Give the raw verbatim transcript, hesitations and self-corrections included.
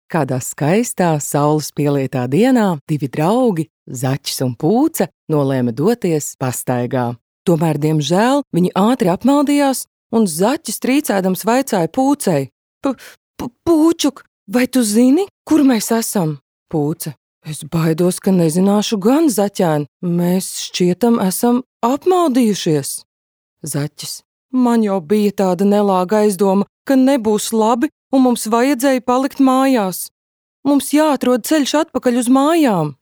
Kādā skaistā, saules pielietā dienā divi draugi, Zaķis un Pūce, nolēma doties pastaigā. Tomēr, diemžēl, viņi ātri apmaldījās, un Zaķis trīcēdams vaicāja Pūcei: Pūčuk, vai tu zini, kur mēs esam? Pūce: Es baidos, ka nezināšu gan, Zaķēn, mēs šķietam esam apmaldījušies. Zaķis: Man jau bija tāda nelāga aizdoma, ka nebūs labi, un mums vajadzēja palikt mājās. Mums jāatrod ceļš atpakaļ uz mājām.